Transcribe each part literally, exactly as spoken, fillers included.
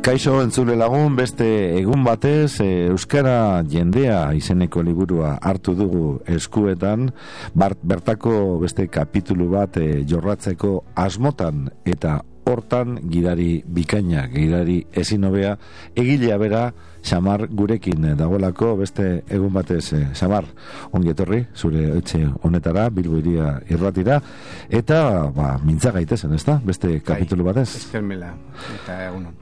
Kaixo entzule lagun, beste egun batez Euskara jendea izeneko liburua hartu dugu eskuetan, bart, bertako beste kapitulu bat e, jorratzeko asmotan eta hortan gidari bikaina, gidari ezin hobea, egilea bera Xamar gurekin dagoelako beste egun batez. Xamar, ongi etorri zure etxe honetara, Bilbo Hiria irratira, eta ba, mintza gaitezen, ezta? Beste kapitulu batez. Eskermela, eta egunon.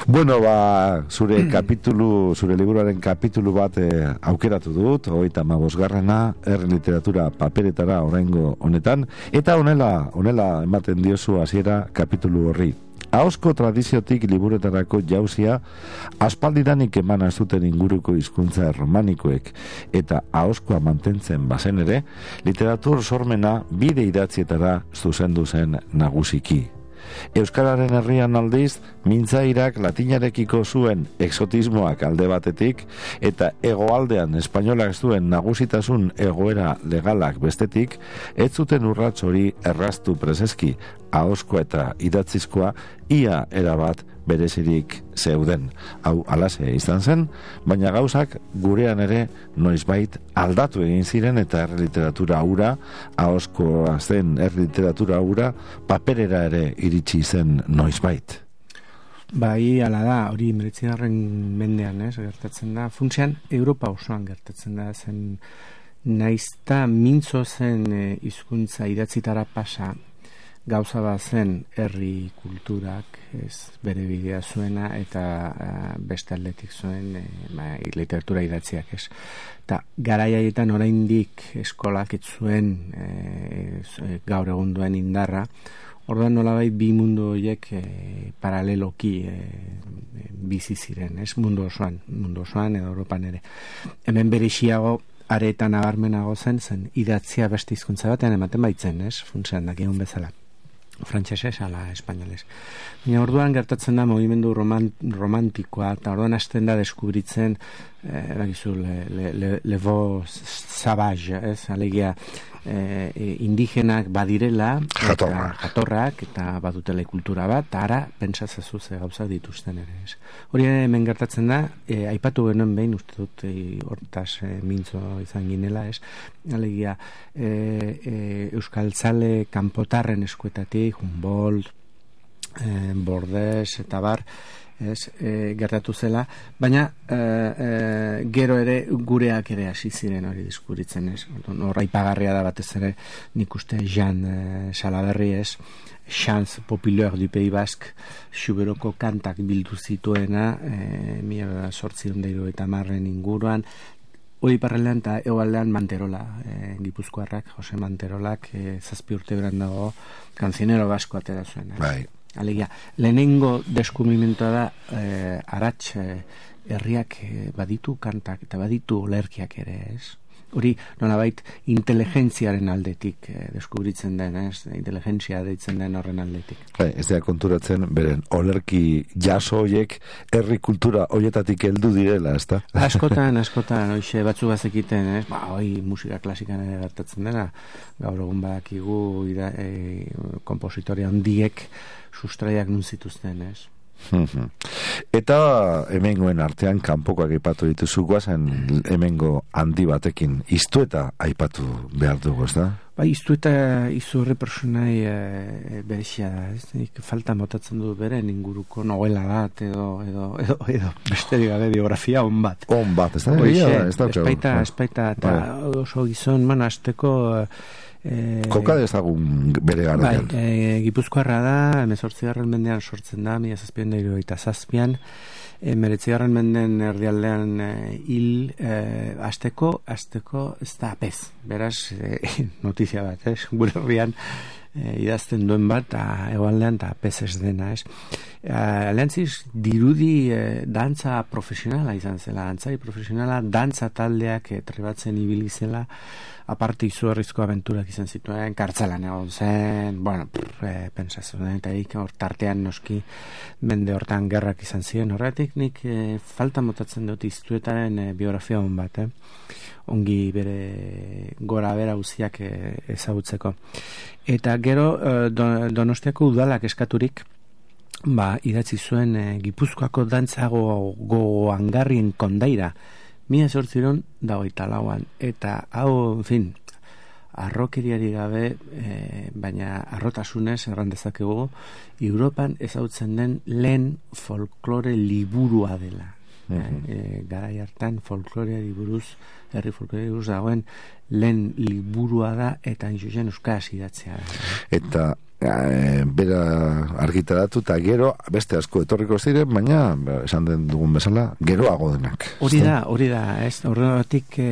Bueno, ba, zure kapitulu, zure liburuaren kapitulu bat eh, aukeratu dut, hogeita hamabosgarrena, herri literatura paperetara oraingo honetan, eta honela, honela ematen diozu hasiera kapitulu horri. Ahozko tradiziotik liburuetarako jauzia aspaldidanik eman ez duten inguruko hizkuntza erromanikoek eta ahozkoa mantentzen bazen ere, literatur sormena bide idatzietara zuzendu zen nagusiki. Euskararen herrian aldiz, mintzairak latinarekiko zuen exotismoak alde batetik eta hegoaldean espainolak zuen nagusitasun egoera legalak bestetik, ez zuten urrats hori erraztu preseski, ahozkoa eta idatzizkoa ia erabat berezirik zeuden. Hau alase izan zen, baina gauzak gurean ere noizbait aldatu egin ziren eta herri literatura hura, ahozkoa zen herri literatura hura, paperera ere iritsi zen noizbait. Bai, ala da, hori hemeretzigarren mendean, ez, gertatzen da. Funtsean, Europa osoan gertatzen da, zen naizta mintzo zen hizkuntza idatzitara pasa, gauza bat zen herri kulturak, ez bere bidea zuena, eta uh, beste aldetik zuen e, ma, literatura idatziak, ez. Eta garaiaietan oraindik eskolak ez zuen e, gaur egun duen indarra, orduan nolabait bi mundu horiek e, paraleloki e, bizi ziren, ez, mundu osoan, mundu osoan edo Europan ere. Hemen berexiago aretan nabarmenago zen, zen idatzia beste hizkuntza batean ematen baitzen, ez, funtsean dakigun bezala. Frantsesez ala espainolez. Baina orduan gertatzen da mugimendu roman, romantikoa, eta orduan hasten da deskubritzen eh, eragizu, le, le, le, levo savage, ez, alegia eh, indigenak badirela, jatorrak. Eta, jatorrak, eta badutela kultura bat, eta ara, pentsazazu ze gauzak dituzten ere, ez. Hori hemen gertatzen da, eh, aipatu genuen behin, uste dut, eh, hortaz eh, mintzo izan ginela, ez, alegia, eh, eh, euskaltzale kanpotarren eskuetatik, Humboldt, eh, Bordes, eta bar, ez, e, gertatu zela, baina e, e, gero ere gureak ere hasi ziren hori diskuritzen, ez. Hor aipagarria da batez ere, nik uste Jean e, Salaberri, ez, Chants Populaire du Pays Basque, Xuberoko kantak bildu zituena, e, mila sortziehun eta hirurogeita hamarren inguruan, hori parralean eta egoaldean Manterola, e, Gipuzkoarrak, Jose Manterolak, e, zazpi urte beran dago, kanzionero basko atera zuen. Bai. Alegia, lehenengo deskubrimentoa da eh, arats eh, herriak eh, baditu kantak eta baditu olerkiak ere, ez? Hori nolabait inteligentziaren aldetik eh, deskubritzen den, ez? Inteligentzia deitzen den horren aldetik. Bai, ez da konturatzen beren olerki jaso hoiek herri kultura hoietatik heldu direla, ezta? Askotan, askotan, hoixe batzu bazekiten, ez? Ba, hoi musika klasikan ere gertatzen dela, gaur egun badakigu ira, e, kompositoria handiek sustraiak nun zituzten, ez? Eta hemengoen artean kanpokoak aipatu dituzu, guazen hemengo handi batekin iztueta aipatu behar dugu, ez da? Ba, iztueta izurri personai e, berexia da, ez? Nik falta motatzen du beren inguruko novela bat edo, edo, edo, edo besterik gabe biografia on bat. On bat, ez da? Espaita, espaita, eta oso gizon, man, azteko Eh, Koka dezagun bere garaian. Bai, e, Gipuzkoarra da, hemezortzigarren mendean sortzen da, mila zazpiehun eta hirurogeita zazpian, hemeretzigarren menden erdialdean e, hil, e, azteko, azteko ez da apez. Beraz, e, notizia bat, ez? Gure herrian e, idazten duen bat, eta egoaldean eta apez ez dena, ez? Alentziz, dirudi e, dantza profesionala izan zela, dantzari profesionala, dantza taldeak e, trebatzen ibili zela, aparte izugarrizko abenturak izan zituen, kartzelan egon zen, bueno, pff, e, pensatzen, eta ik, hor tartean noski mende hortan gerrak izan ziren, horretik nik e, falta motatzen dut iztuetaren e, biografia hon bat, eh? Ongi bere gora bera guziak e, ezagutzeko. Eta gero, e, Donostiako udalak eskaturik, ba, idatzi zuen e, Gipuzkoako dantzago goangarrien kondaira, mila zortziron dagoita lauan, eta hau, en fin, arrokeriari gabe, e, baina arrotasunez erran dezakegu, Europan ezautzen den lehen folklore liburua dela. Uh-huh. e, garai hartan folkloreari buruz, herri folkloreari buruz dagoen lehen liburua da, eta inzuzen euskaraz idatzea da. Eta e, bera argitaratu eta gero beste asko etorriko ziren, baina esan den dugun bezala geroago denak. Hori da, hori da, ez? Horregatik e,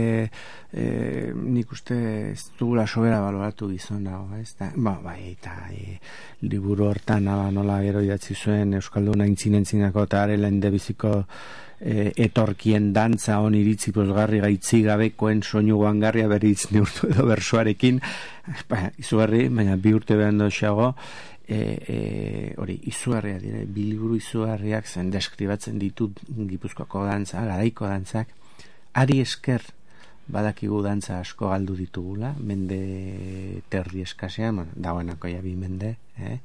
e, nik uste ez dugula sobera baloratu gizon dago, ez? Da, ba, bai, eta e, liburu hortan aba, nola gero idatzi zuen Euskalduna intzinentzinako eta arelen debiziko e, etorkien dantza on iritzi pozgarri gaitzi gabekoen soinu goangarria beritz neurtu edo bersoarekin, ba, izugarri, baina bi urte behan doxago, e, e, hori, izugarria dire, bi liburu izugarriak zen deskribatzen ditut Gipuzkoako dantza, garaiko dantzak, ari esker badakigu dantza asko galdu ditugula, mende terdi eskasean, bueno, dagoenako ja bi mende, eh?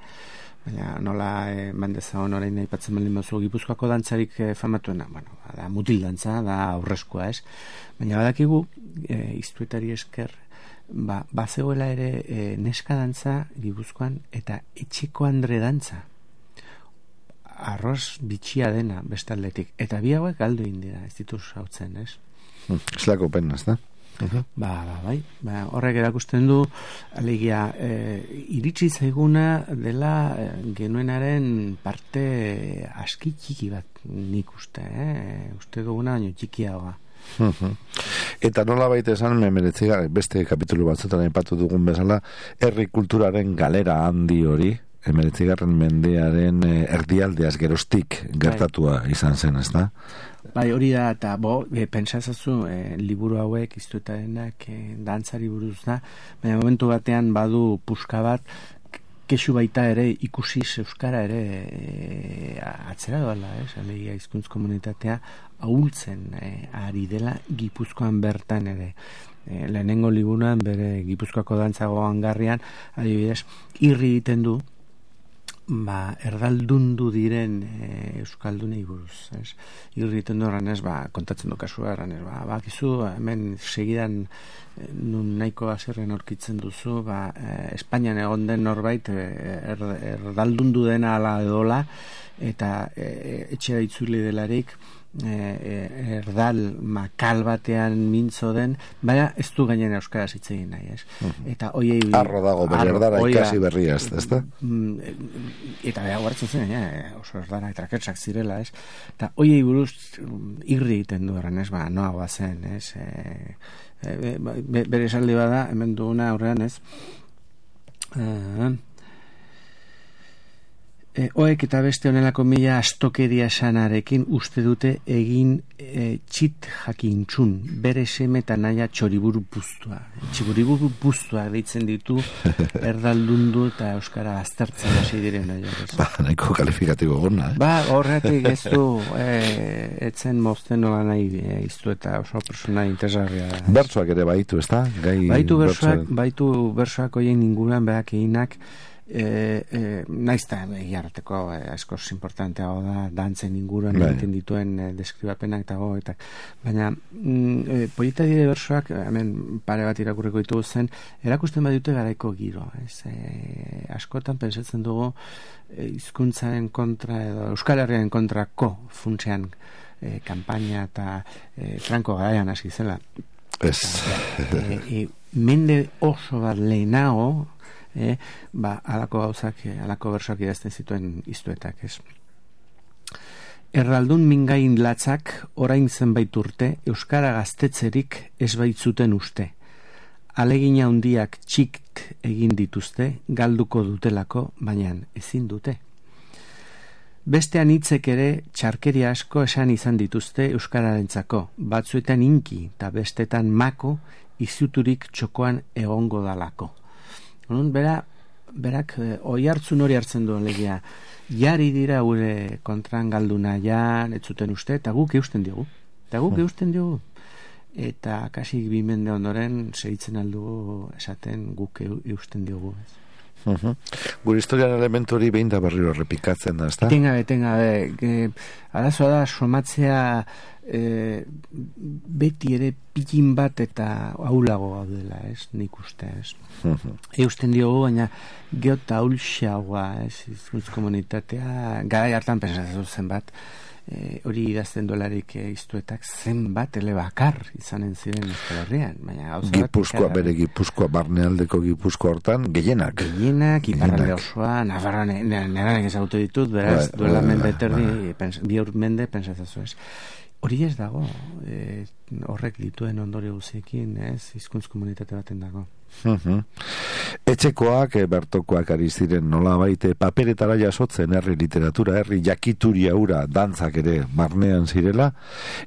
Baina nola eh, mandezagon orain aipatzen baldin bazu Gipuzkoako dantzarik eh, famatuena, bueno, da mutil dantza, da aurrezkoa, ez? Baina badakigu eh, iztuetari esker ba, bazegoela ere eh, neska dantza Gipuzkoan eta etxeko andre dantza. Arroz bitxia dena bestaldetik. Eta bi hauek galdu indira, ez dituz hautzen, ez? Eslako pena, ez da? Uh-huh. Ba, ba, bai. Ba, horrek erakusten du, alegia, e, iritsi zaiguna dela e, genuenaren parte aski txiki bat nik uste, eh? Uste duguna baino txikiagoa. Uh-huh. Eta nola baita esan, memeretziga, beste kapitulu batzutan aipatu dugun bezala, herri kulturaren galera handi hori, emeretzigarren mendearen erdialdeaz gerostik gertatua izan zen, ez da? Bai, hori da, eta bo, e, pentsazazu, e, liburu hauek, iztuetarenak, e, dantzari buruz da, baina momentu batean badu puska bat, kexu baita ere ikusi euskara ere e, atzera doala, ez? Alegia hizkuntz komunitatea ahultzen e, ari dela Gipuzkoan bertan ere. E, lehenengo liburuan bere Gipuzkoako dantzago hangarrian, adibidez, irri egiten du, ba, erdaldundu diren e, euskaldunei buruz, ez? Irriten du erranez, ba, kontatzen du kasua erranez, ba, bakizu, hemen segidan e, nun nahiko azerren aurkitzen duzu, ba, e, Espainian egon den norbait e, er, erdaldundu dena ala edola, eta e, etxera itzuli delarik, E, e, erdal makal batean mintzo den, baina ez du gainen euskaraz hitz egin nahi, ez? Uh-huh. Eta hoiei arro dago, bere erdara ikasi berria, ez da? Eta beha guartzen zen, ja, oso erdara etraketsak zirela, ez? Eta hoiei buruz irri egiten du erran, ez? Ba, noagoa zen, ez? E, e, be, bere esaldi bada, hemen duguna aurrean, ez? E, E, oek eta beste honelako mila astokeria sanarekin uste dute egin e, txit jakintxun, bere seme eta naia txoriburu puztua. Txoriburu puztua deitzen ditu erdaldundu eta euskara aztertzen hasi diren. Ba, nahiko kalifikatibo gona, eh? Ba, horretik ez du e, etzen mozten nola nahi e, iztu eta oso persona interesgarria da. Bertsoak ere baitu, ez da? Gai baitu bertsoak, baitu bertsoak oien inguruan berak eginak, E, e, naizta egiarteko e, askoz importantea da dantzen inguruan egiten dituen e, deskribapenak eta goetak, baina mm, e, polita dire bersoak, hemen pare bat irakurriko ditugu zen, erakusten badute garaiko giro, ez? E, askotan pensatzen dugu e, hizkuntzaren kontra edo Euskal Herriaren kontrako funtsean e, kanpaina eta e, Franco garaian hasi zela. Ez. E, e, mende oso bat lehenago, Eh, ba, alako gauzak, alako bersoak idazten zituen iztuetak, ez? Erraldun mingain latzak orain zenbait urte euskara gaztetzerik ez baitzuten uste. Alegina handiak txikt egin dituzte, galduko dutelako, baina ezin dute. Bestean hitzek ere txarkeria asko esan izan dituzte euskararentzako, batzuetan inki eta bestetan mako izuturik txokoan egongo dalako. Nun, bera, berak e, oi hartzun hori hartzen duen legia, jari dira gure kontran galduna ja, ez zuten uste, eta guk eusten diogu. Eta guk eusten diogu. Eta kasik bi mende ondoren segitzen aldugu esaten guk eusten diogu. Uh-huh. Gure historian elementu hori behin da berriro errepikatzen da, ezta? Etengabe, etengabe. Arazoa da, somatzea e, beti ere pikin bat eta aulago gaudela, ez? Nik uste, ez? Uh-huh. Eusten diogu, baina geota aulxagoa, ez? Hizkuntz komunitatea, garai hartan pensatzen zen bat, E, hori idazten dolarik e, iztuetak zenbat elebakar izanen ziren Euskal Herrian. Gipuzkoa, bere Gipuzkoa, barnealdeko Gipuzkoa hortan, gehienak. Gehienak, iparralde osoa, Navarra, neranek ezagute ditut, beraz, ba, duela ba, mende eterdi, ba. bi ur mende, pensatzazu ez. Hori ez dago, e, horrek dituen ondorio guziekin, ez, hizkuntz komunitate baten dago. Uh-huh. Etxekoak, e, bertokoak ari ziren nola baite paperetara jasotzen herri literatura, herri jakituria ura, dantzak ere barnean zirela,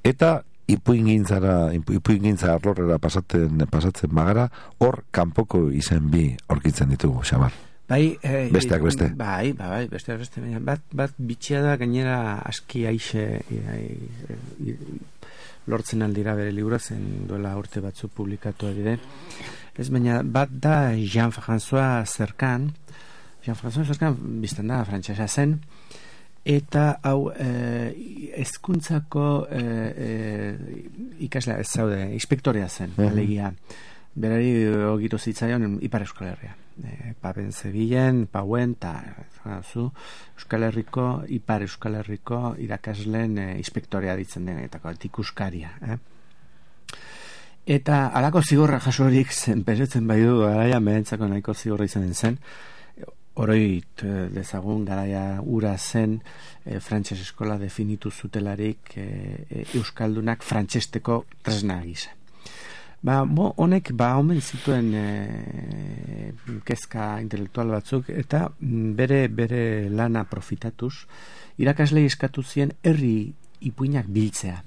eta ipuingintzara, ipuingintza arlorrera pasatzen, pasatzen bagara, hor kanpoko izen bi aurkitzen ditugu, Xabar. Bai, eh, besteak beste. Bai, bai, bai, besteak beste. Bat, bat bitxia da gainera aski aixe e, e, e, lortzen aldira bere libura zen duela urte batzu publikatu dire. Ez baina bat da Jean-François Zerkan, Jean-François Zerkan biztan da frantsesa zen, eta hau eh, hezkuntzako eh, eh, ikaslea ez zaude, inspektorea zen, uh-huh. alegia. Berari ogitu zitzaion Ipar Euskal Herria. E, Papen Zebilen, Pauen, eta zu, Euskal Herriko, Ipar Euskal Herriko irakasleen e, inspektorea ditzen denetako, tikuskaria. Eh? Eta alako zigorra jasorik zen, pesetzen bai du, garaia mehentzako nahiko zigorra izanen zen, oroit dezagun garaia ura zen e, frantses eskola definitu zutelarik e, e, Euskaldunak frantsesteko tresna gisa. Ba, bo, honek ba omen zituen e, kezka intelektual batzuk eta bere bere lana profitatuz irakaslei eskatu zien herri ipuinak biltzea.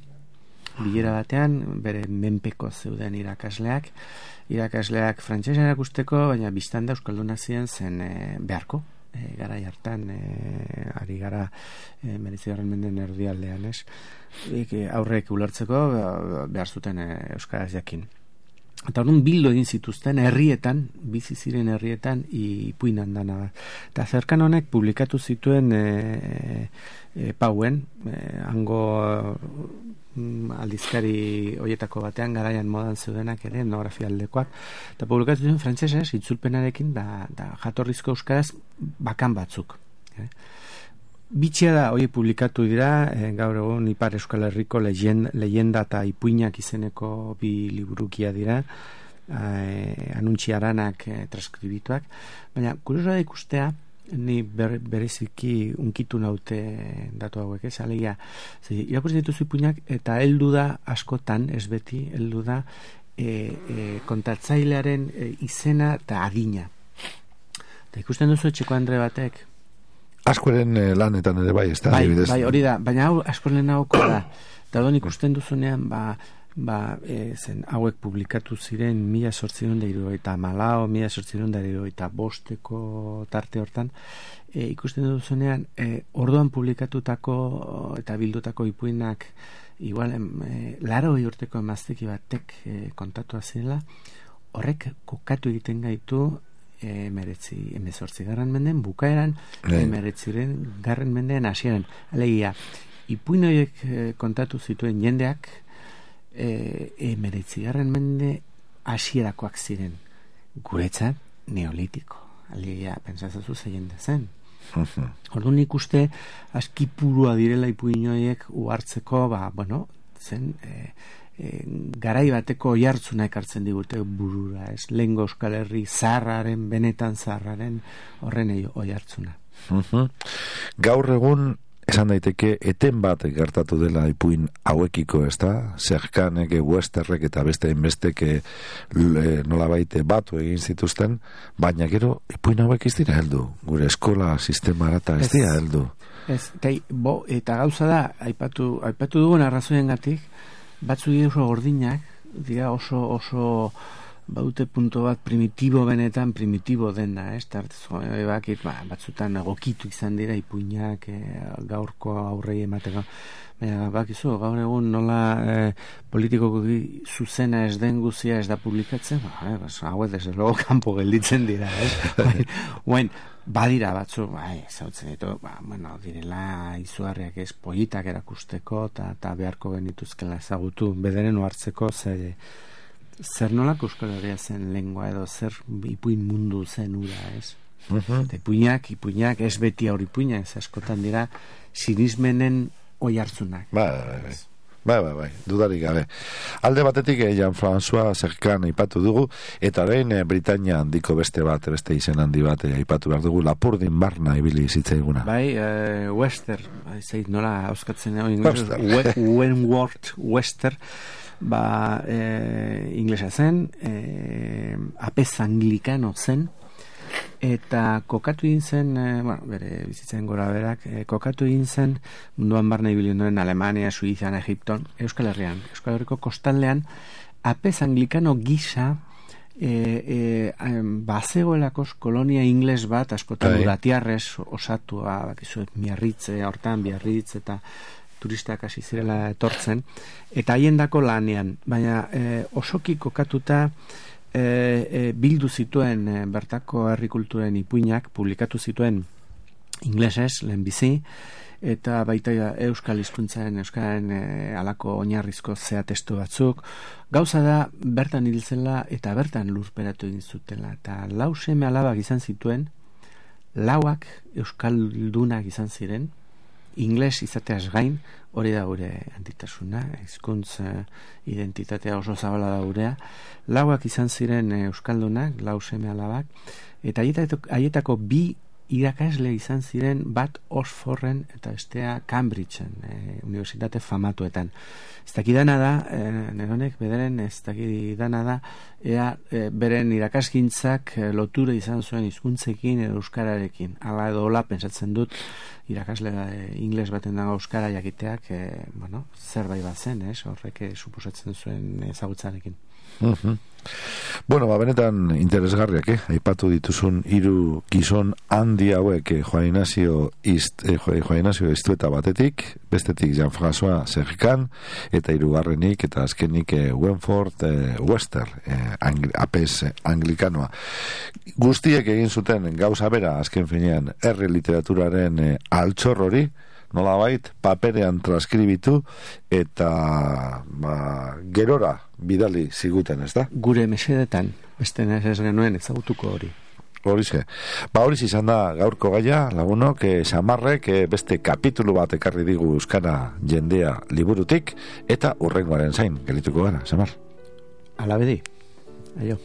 Bilera batean bere menpeko zeuden irakasleak, irakasleak frantsesa erakusteko, baina biztanda euskaldunak ziren zen e, beharko. E, garai hartan e, ari gara e, meretzigarren menden erdialdean, ez? E, aurrek ulertzeko behar zuten e, euskaraz jakin. Eta orduan bildu egin zituzten herrietan, bizi ziren herrietan ipuinan dana. Eta Zerkan honek publikatu zituen e, e, Pauen, e, hango mm, aldizkari hoietako batean, garaian modan zeudenak ere, etnografia aldekoak, eta publikatu zituen frantsesez, itzulpenarekin, da, da jatorrizko euskaraz bakan batzuk. Eh? Bitxia da, hori publikatu dira, e, gaur egun Ipar Euskal Herriko leyenda, leyenda eta ipuinak izeneko bi liburukia dira, e, anuntziaranak e, transkribituak, baina kuriosoa da ikustea, ni ber, bereziki unkitu naute datu hauek, ez, alegia, irakurtzen dituzu ipuinak, eta heldu da askotan, ez beti, heldu da e, e, kontatzailearen e, izena eta adina. Eta ikusten duzu etxeko Andre batek, askoren eh, lanetan ere bai, ez da? Bai, bai, hori da, baina hau askoren hauko da. Eta hori ikusten duzunean, ba, ba e, zen hauek publikatu ziren mila sortziron da eta malao, mila sortziron da eta bosteko tarte hortan, e, ikusten duzunean, e, orduan publikatutako eta bildutako ipuinak, igual, e, laro urteko emazteki batek e, kontatu zirela, horrek kokatu egiten gaitu emeretzi, emezortzi garren menden bukaeran, emeretziren garren menden hasieran. Alegia, ipuin horiek e, kontatu zituen jendeak e, emeretzi garren mende hasierakoak ziren. Guretzat, neolitiko. Alegia, pentsatzen ze jende zen. Orduan ikuste, aski purua direla ipuin horiek uhartzeko, ba, bueno, zen... E, E, garai bateko oihartzuna ekartzen digute burura, ez? Lehengo Euskal Herri zaharraren, benetan zaharraren horren oihartzuna. Uh-huh. Gaur egun esan daiteke eten bat gertatu dela ipuin hauekiko, ez da? Zerkanek, Westerrek eta beste enbesteke nolabait batu egin zituzten, baina gero ipuin hauek ez dira heldu. Gure eskola sistemara eta ez dira heldu. Ez, eta, bo, eta gauza da, aipatu, aipatu dugun arrazoiengatik, batzu dira oso gordinak, dira oso, oso baute punto bat primitibo benetan primitibo dena, ez? Tartez, bakit, ba, batzutan egokitu izan dira ipuinak e, gaurko aurrei emateko. Baina, bakizu, gaur egun nola e, politikoko zuzena ez den guzia ez da publikatzen, ba, e, bas, hau desde logo kanpo gelditzen dira, ez? Oain, badira batzu, bai, zautzen ditu, ba, bueno, direla izugarriak ez politak erakusteko, eta beharko genituzkela ezagutu, bederen ohartzeko, ze, zer nolako Euskal Herria zen lengua edo zer ipuin mundu zen ura, ez? Uh-huh. Ipuinak, ipuinak, ez beti aur ipuinak, ez askotan dira sinismenen oi hartzunak. Bai, bai, bai. Bai, bai, bai, dudarik gabe. Alde batetik eh, Jean-François Serkan aipatu dugu, eta orain eh, Britania handiko beste bat, beste izen handi bat eh, aipatu behar dugu, Lapurdin Barna ibili zitzaiguna. Bai, eh, Wester, zait nola hauskatzen hau ingles, Wentworth Wester, ba, eh, inglesa zen, eh, apez anglikano zen, eta kokatu egin zen, eh, bueno, bere bizitzen gora berak, eh, kokatu egin zen munduan barna ibili ondoren Alemania, Suizan, Egipton, Euskal Herrian, Euskal Herriko kostaldean, apez anglikano gisa e, e, bazegoelakos kolonia ingles bat, askotan uratiarrez osatua, bakizuet, Miarritze, hortan Biarritz, eta turistak hasi zirela etortzen, eta haiendako lanean, baina e, osoki kokatuta e, e, bildu zituen e, bertako herrikulturen ipuinak, publikatu zituen inglesez, lehenbizi, eta baita euskal hizkuntzaren euskaren e, alako oinarrizko zea testu batzuk. Gauza da, bertan hil zela eta bertan lurperatu egin zutela, eta lau seme alabak izan zituen, lauak euskaldunak izan ziren, ingles izateaz gain, hori da gure antitasuna, hizkuntz uh, identitatea oso zabala da gurea, lauak izan ziren uh, euskaldunak, lau seme alabak, eta haietako bi irakasle izan ziren, bat Oxforden eta bestea Cambridgeen, e, unibertsitate famatuetan. Ez dakidana da, e, neronek bederen ez dakidana da, ea e, beren irakasgintzak e, lotura izan zuen hizkuntzekin edo euskararekin. Hala edo hola pentsatzen dut, irakasle e, ingles baten dago euskara jakiteak, e, bueno, zerbait bat zen, ez? Horrek e, suposatzen zuen ezagutzarekin. Uh-huh. Bueno, ba, benetan interesgarriak, eh? Aipatu dituzun hiru gizon handi hauek eh, Juan Ignacio Ist, eh, Juan Ignacio Istueta batetik, bestetik Jean-François Serkan, eta hirugarrenik eta azkenik eh, Wentworth eh, Wester, eh, angli, apes eh, anglikanoa. Guztiek egin zuten gauza bera, azken finean, herri literaturaren eh, altxor hori, nolabait paperean transkribitu eta ba, gerora bidali ziguten, ez da? Gure mesedetan, beste ez genuen ezagutuko hori. Horize. Ba, horiz izan da gaurko gaia, lagunok, eh, Samarrek eh, beste kapitulu bat ekarri digu euskara jendea liburutik, eta urrengoaren zain, gelituko gara, Samar. Alabedi. Aio.